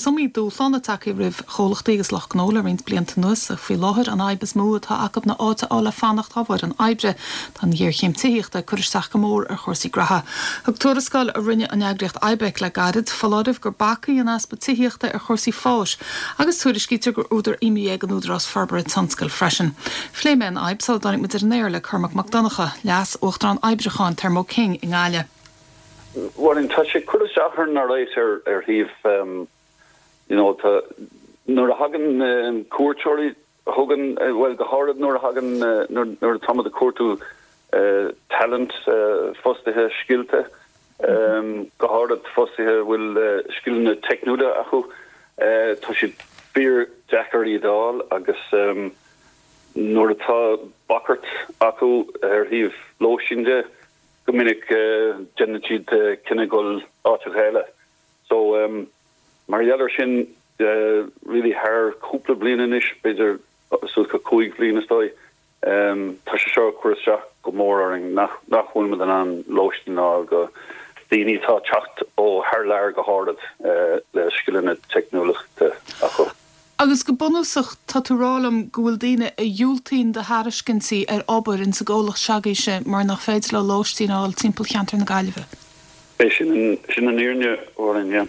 Is iomaí dúshlán atá tagtha roimh chomhlachtaí agus lucht gnó le roinnt blianta anuas, ach faoi láthair an fhadhb is mó atá acu ná áit a fháil le fanacht dá bhfoireann oibre. Tá an ghéarchéim tithíochta ag cur isteach go mór ar chúrsaí graithe. Thug tuarascáil a rinne an eagraíocht IBEC le gairid foláireamh gur bac í an easpa tithíochta ar chúrsaí fáis agus tuairiscítear gur údar imní é don Údarás Forbartha Tionscail freisin. Phléigh mé an fhadhb sula dtáinig muid ar an aer le Cormac Mac Donncha, Leas-Uachtarán Oibriúcháin Thermo King i nGaillimh. Bhuel, tá sé ag cur isteach orainn alright ar ar thaobh you know tá nuair a thagann cuairteoirí chugainn bhuel go háirid nuair a thagann nuair nuair atá muid ag cuartú talent fostaithe scilta go háirid fostaithe a bhfuil scileanna teicniúla acu tá siad fíor deacair iad a fháil agus nuair atá bagairt acu ar thaobh lóistín de Go minic déanann siad cinneadh dul áiteacha eile. So mar gheall ar sin really thar cúpla bliain anois, b'fhéidir suas go 5 bhliain is dóigh, tá sé seo ag cur isteach go mór orainn nach nach bhfuil muid in ann lóistín a fháil go daoine atá ag teacht ó thar lear go háirid le scileanna teicniúlachta acu. Agus go bunúsach, tá tú rá liom go bhfuil daoine a dhiúltaíonn do thairiscintí ar obair ins an gcomhlacht se'agaibhse mar nach féidir leo lóistín a fháil timpeall cheantar na Gaillimhe? É sin an, sin an fhírinne, a Mháirín, yeah.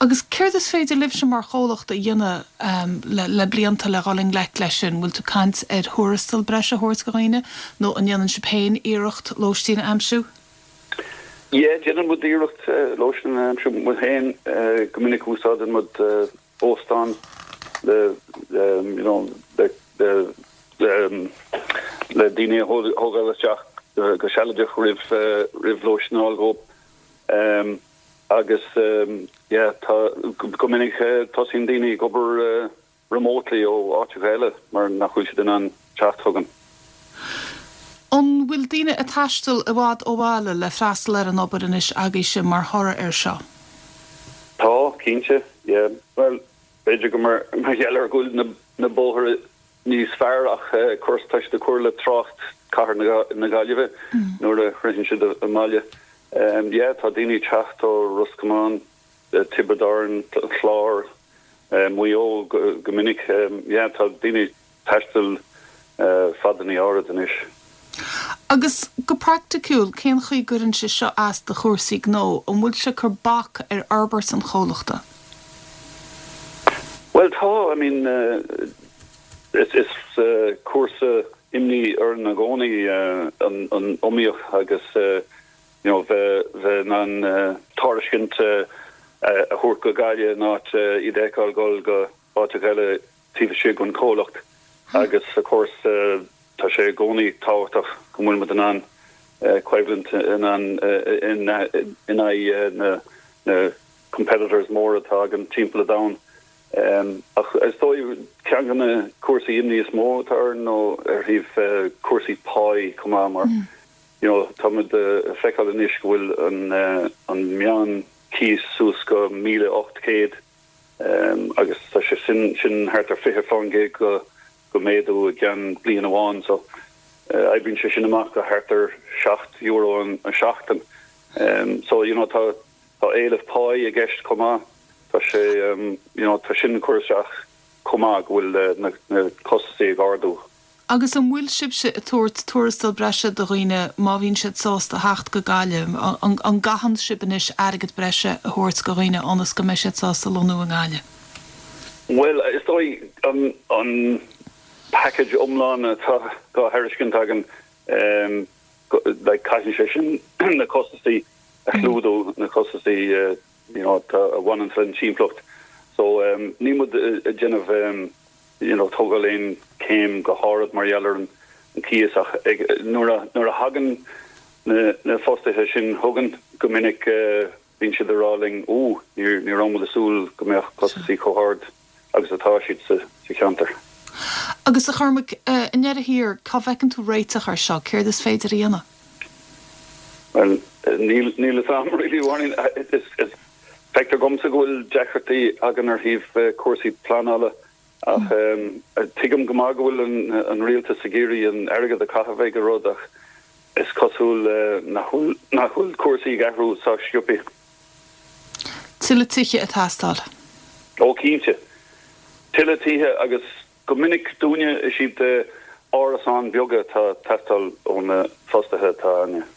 Agus céard is féidir libhse mar chomhlacht a dhéanamh le, le blianta le dhul i ngleic leis sin? Bhfuil tú ag caint ar thuarastal breise a thabhairt do dhaoine nó an ndéanann sibh féin iarracht lóistín a aimsiú? Yeah, déanann muid iarracht lóistín a aimsiú muid féin. Go minic úsáideann muid óstán le you know le le daoine a thógáil isteach go sealadach roimh roimh lóistín a fháil dhóibh. Agus yeah tá go minic tosaíonn daoine ag obair remotely ó áiteacha eile mar nach bhfuil siad in ann teacht chugainn. An bhfuil daoine ag taisteal i bhfad ó bhaile le freastal ar an obair anois agaibhse mar thoradh air seo? Tá, cinnte, yeah. Bhuel, b'fhéidir gur mar gheall ar go bhfuil na na bóithre níos fearr ach of course tá siad ag cur le trácht cathair na Gaillimhe nuair a shroicheann siad an baile. Yeah, tá daoine ag teacht ó Ros Comáin, Tiobraid Árann, an Clár, Maigh Eo go minic. Yeah, tá daoine ag taisteal fadanna áirid anois. Agus go praiticiúil, cén chaoi gcuireann sé seo as do chúrsaí gnó? An bhfuil sé ag cur bac ar fhorbairt an chomhlachta? Bhuel tá, I mean is is cúrsa imní orainn i gcónaí an iomaíocht agus you know bheith bheith in ann tairiscint a thabhairt go Gaillimh in áit iad a fheiceáil dul go áiteacha eile taobh istigh den chomhlacht agus of course tá sé i gcónaí tábhachtach go bhfuil muid in ann coimhlint in ann in aghaidh na na competitors móra atá againn timpeall an domhain. Ach is dóigh ceann de na cúrsaí imní is mó atá orainn nó ar thaobh cúrsaí páí chomh maith mar you know tá muid ag feiceáil anois go bhfuil an an meán cíos suas go 1,800 agus tá sé sin sin thart ar 20% go go méadú i gceann bliain amháin so oibríonn sé sin amach go thart ar €7 an seachtain so you know tá tá éileamh páí i gceist chomh maith tá sé you know tá sin ag cur isteach chomh maith go bhfuil na na costasaí ag ardú. Agus an bhfuil sibhse ag tabhairt tuarastal breise do dhaoine má bhíonn siad sásta theacht go Gaillimh? An gcaitheann sibh anois airgead breise a thabhairt go dhaoine ionas go mbeidh siad sásta lonnú i nGaillimh? Bhuel, is dóigh an package iomlán atá á thairiscint againn, like caitheann sé sin na costasaí a chlúdú, na costasaí you know a bhaineann leis an timpeallacht. So níl muid ag déanamh you know tógáil aon céim go hard mar gheall ar an cíos ach ag nuair a nuair a thagann na na fostaithe sin chugainn go minic bíonn siad ag rá linn ó ní ní raibh muid ag súil go mbeadh costasaí chomh hard agus atá siad sa sa cheantar. Agus a Chormaic, i ndeireadh thiar, cá bhfeiceann tú réiteach air seo? Céard is féidir a dhéanamh? Bhuel, níl níl fhios a'm really, Mháirín. Is is Feictear dhomsa go bhfuil deacrachtaí againn ar thaobh cúrsaí pleanála ach tuigim go maith go bhfuil an rialtas ag iarraidh an airgead a chaitheamh ag an rud ach is cosúil nach bhfuil nach bhfuil cúrsaí ag athrú sách sciobtha. Tuilleadh tithe ag teastáil. Ó cinnte. Tuilleadh tithe agus go minic dúinne is iad árasáin bheaga atá ag teastáil ó na fostaithe atá againne.